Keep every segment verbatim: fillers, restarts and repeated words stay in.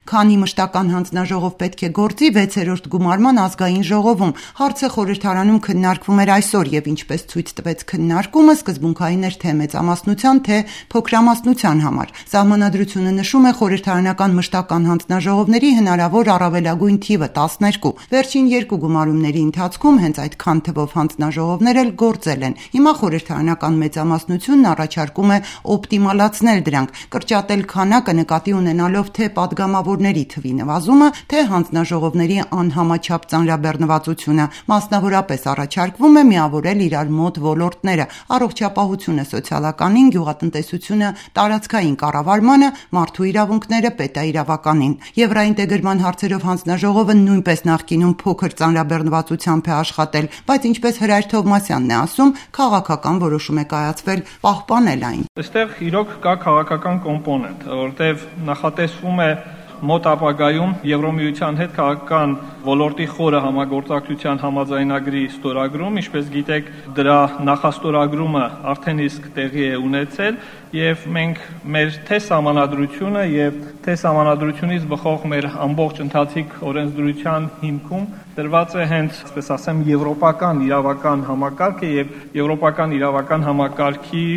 Քանի մշտական հանձնաժողով պետք է գործի վեցերորդ գումարման ազգային ժողովում։ Հարցը խորհրդարանում քննարկվում էր այսօր եւ ինչպես ցույց տվեց քննարկումը, սկզբունքային էր թե մեծամասնության, թե փոքրամասնության համար։ Սահմանադրությունը նշում է խորհրդարանական մշտական հանձնաժողովների հնարավոր առավելագույն թիվը տասներկու։ Վերջին երկու գումարումների ընթացքում հենց այդքան թվով հանձնաժողովներ էլ գործել են։ Հիմա խորհրդարանական մեծամասնությունն առաջարկում է օպտիմալացնել դրանք, կրճատել քանակը նկատի ունենալով թե падգամավորների թվի նվազումը, թե հանձնաժողովների անհամաչափ ծանրաբեռնվածությունը։ Մասնավորապես առաջարկվում է միավորել իրար մոտ ոլորտները՝ առողջապահությունը սոցիալականին, գյուղատնտեսությունը տարածքային կառավարմանը, մարդու իրավունքները պետաիրավականին։ Եվրաինտեգրման հարցերով հանձնաժողովը նույնպես նախկինում փոքր ծանրաբեռնվածությամբ է աշխատել, բայց ինչպես Հրայր Թովմասյանն է ասում, քաղաքական որոշում է կայացվել պահպանել այն։ Այստեղ իրոք կա քաղաքական կոմպոնենտ, որտեղ նախատեսվում է մոտ ապագայում Եվրոմիության հետ քաղաքական ոլորտի խորը համագործակցության համաձայնագրի ստորագրում, ինչպես գիտեք, դրա նախաստորագրումը արդեն իսկ տեղի է ունեցել եւ մենք մեր թե սահմանադրությունը եւ թե սահմանադրությունից բխող մեր ամբողջ ընթացիկ օրենսդրության հիմքում դրված է հենց, այսպես ասեմ, եվրոպական իրավական համակարգը եւ եվրոպական իրավական համակարգի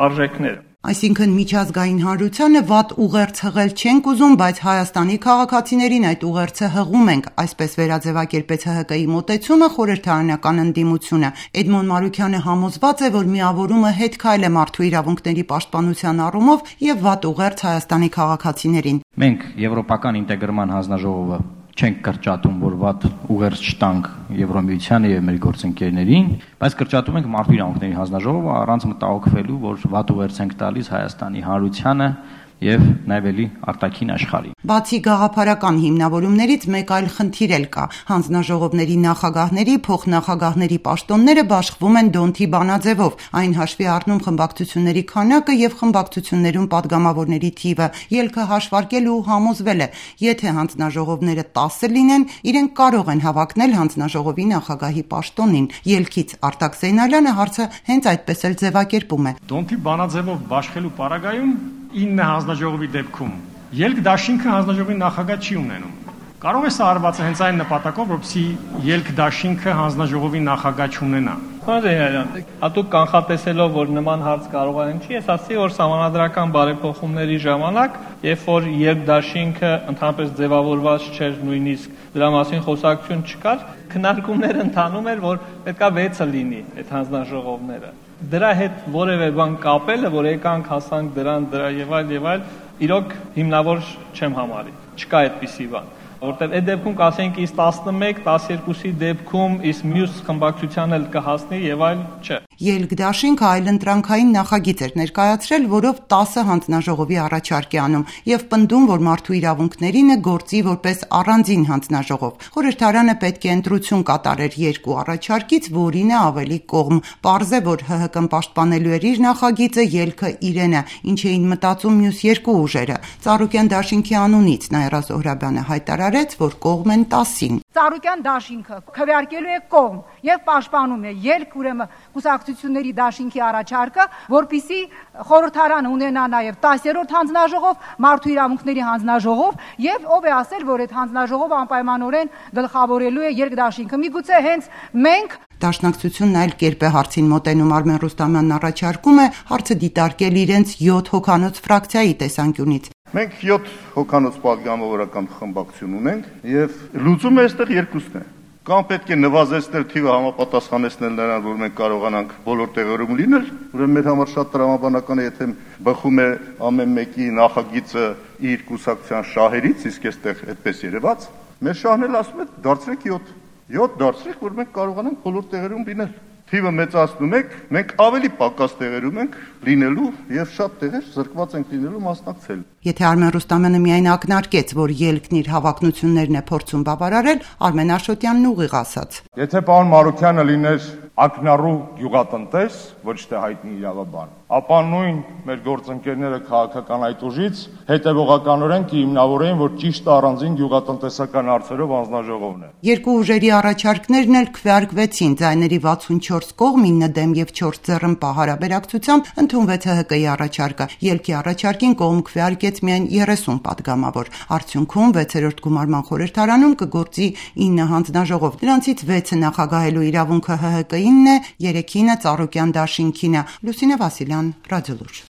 արժեքները։ Այսինքն միջազգային հանրությանը վատ ուղերձ հղել չենք ուզում, բայց Հայաստանի քաղաքացիներին այդ ուղերձը հղում ենք, այսպես վերաձևակերպեց Հ Հ Կ-ի մոտեցումը խորհրդարանական ընդդիմությունը։ Էդմոն Մարուքյանը համոզված է, որ միավորումը հետ քայլ է մարդու իրավունքների պաշտպանության առումով եւ վատ ուղերձ Հայաստանի քաղաքացիներին։ Մենք եվրոպական ինտեգրման հանձնաժողովը չենք կրճատում, որ վատ ուղերձ չտանք Եվրոմիությանը եւ մեր գործընկերներին, բայց կրճատում ենք մարդու իրավունքների հանձնաժողովը առանց մտահոգվելու, որ վատ ուղերձ ենք տալիս Հայաստանի հանրությանը եւ նաեւ էլի արտաքին աշխարհին։ Բացի գաղափարական հիմնավորումներից մեկ այլ խնդիր էլ կա։ Հանձնաժողովների նախագահների, փոխնախագահների պաշտոնները բաշխվում են դոնթի բանաձևով, այն հաշվի առնում խմբակցությունների քանակը եւ խմբակցություններում падգամավորների թիվը։ Ելքը հաշվարկել ու համոզվել է, եթե հանձնաժողովները տասը լինեն, իրենք կարող են հավակնել հանձնաժողովի նախագահի պաշտոնին։ Ելքից Արտակ Զեյնալյանը հարցը հենց այդպես էլ ձևակերպում է։ Դոնթի բանաձևով բաշխելու պարագայում ինը հանձնաժողովի դեպքում ելք դաշինքը հանձնաժողովի նախագահ չի ունենում։ Կարող է սա արված հենց այն նպատակով, որպեսզի ելք դաշինքը հանձնաժողովի նախագահ չունենա։ Հարգարժան, հատուկ կանխատեսելով, որ նման հարց կարող է ընչի, ես ասի, որ սահմանադրական բարեփոխումների ժամանակ, երբ որ ելք դաշինքը ընդհանրապես ձևավորված չէր, նույնիսկ դրա մասին խոսակցություն չկար, քննարկումներ ընթանում էր, որ պետքա վեցը լինի այդ հանձնաժողովները։ Դրա հետ որևէ բան կապելը, որ եկանք հասանք դրան, դրա եւ այլ եւ այլ, իրոք հիմնավոր չեմ համարի։ Չկա այդպիսի բան, որտեղ այդ դեպքում կասենք իս տասնմեկ, տասներկուսի դեպքում իս մյուս խմբակցության էլ կհասնի եւ այլ չէ։ Ելք դաշինքը այլընտրանքային նախագիծ էր ներկայացրել, որով տասը հանձնաժողովի առաջարկ է անում եւ պնդում, որ մարդու իրավունքներինը գործի որպես առանձին հանձնաժողով։ Խորհրդարանը պետք է ընտրություն կատարեր երկու առաջարկից, որին է ավելի կողմ։ Պարզ է, որ Հ Հ Կ-ն պաշտպանելու էր իր նախագիծը, ելքը իրենը, ինչ էին մտածում մյուս երկու ուժերը։ Ծառուկյան դաշինքի անունից Նաիրա Զոհրաբյանը հայտարարեց, որ կողմ են տասին։ Ծառուկյան դաշինքը քվեարկելու է կողմ եւ պաշտպանում է ելք ուրեմն կուսակցությունների դաշինքի առաջարկը, որպիսի խորհրդարանը ունենա նաեւ տասերորդ հանձնաժողով, մարդու իրավունքների հանձնաժողով եւ ով է ասել, որ այդ հանձնաժողովը անպայմանորեն գլխավորելու է ելք դաշինքը։ Միգուցե հենց մենք Դաշնակցությունն այլ կերպ է հարցին մոտենում։ Արմեն Ռուստամյանն առաջարկում է հարցը դիտարկել իրենց յոթ հոգանոց ֆրակցիայի տեսանկյունից։ Մենք յոթ հոգանոց պատգամավորական խմբակցություն ունենք եւ լուծումը այստեղ երկուսն է։ Կամ պետք է նվազեցնել թիվը համապատասխանեցնել նրան, որ մենք կարողանանք բոլոր տեղերում լինել, ուրեմն մեր համար շատ տրամաբանական է, եթե բխում է ամեն մեկի նախագիծը իր կուսակցության շահերից, իսկ այստեղ այդպես երևաց, մեր շահն էլ ասում է դարձրեք յոթ յոթ դարձրեք, որ մենք կարողանանք բոլոր տեղերում լինել։ Թիվը մեծացնում եք, մենք ավելի պակաս տեղերում ենք լինելու եւ շատ տեղեր զրկված ենք լինելու մասնակցել։ Եթե Արմեն Ռուստամյանը միայն ակնարկեց, որ ելքն իր հավակնություններն է փորձում բավարարել, Արմեն Աշոտյանն ուղիղ ասաց. Եթե պարոն Մարուքյանը լիներ ակնառու գյուղատնտես, ոչ թե հայտնի իրավաբան, ապա նույն մեր գործընկերները քաղաքական այդ ուժից հետևողականորեն կհիմնավորեն, որ ճիշտ առանձին գյուղատնտեսական հարցերով հանձնաժողովն է։ Երկու ուժերի առաջարկներն էլ քվեարկվեցին, ձայների վաթսունչորս կողմ, ինը դեմ եւ չորս ձեռնպահ հարաբերակցությամբ ընդունվեց Հ Հ Կ-ի առաջարկը։ Ելքի առաջարկին կողմ քվեարկեց միայն երեսուն պատգամավոր։ Արդյունքում վեցերորդ գումարման խորհրդարանում կգործի ինը հանձնաժողով։ Դրանցից վեցը նախագահելու իրավունքը Հ Հ Կ-ինն է, երեքինը Ծառուկյան դաշինքին է։ Լուսինե Վասիլյան, Ռադիոլուր։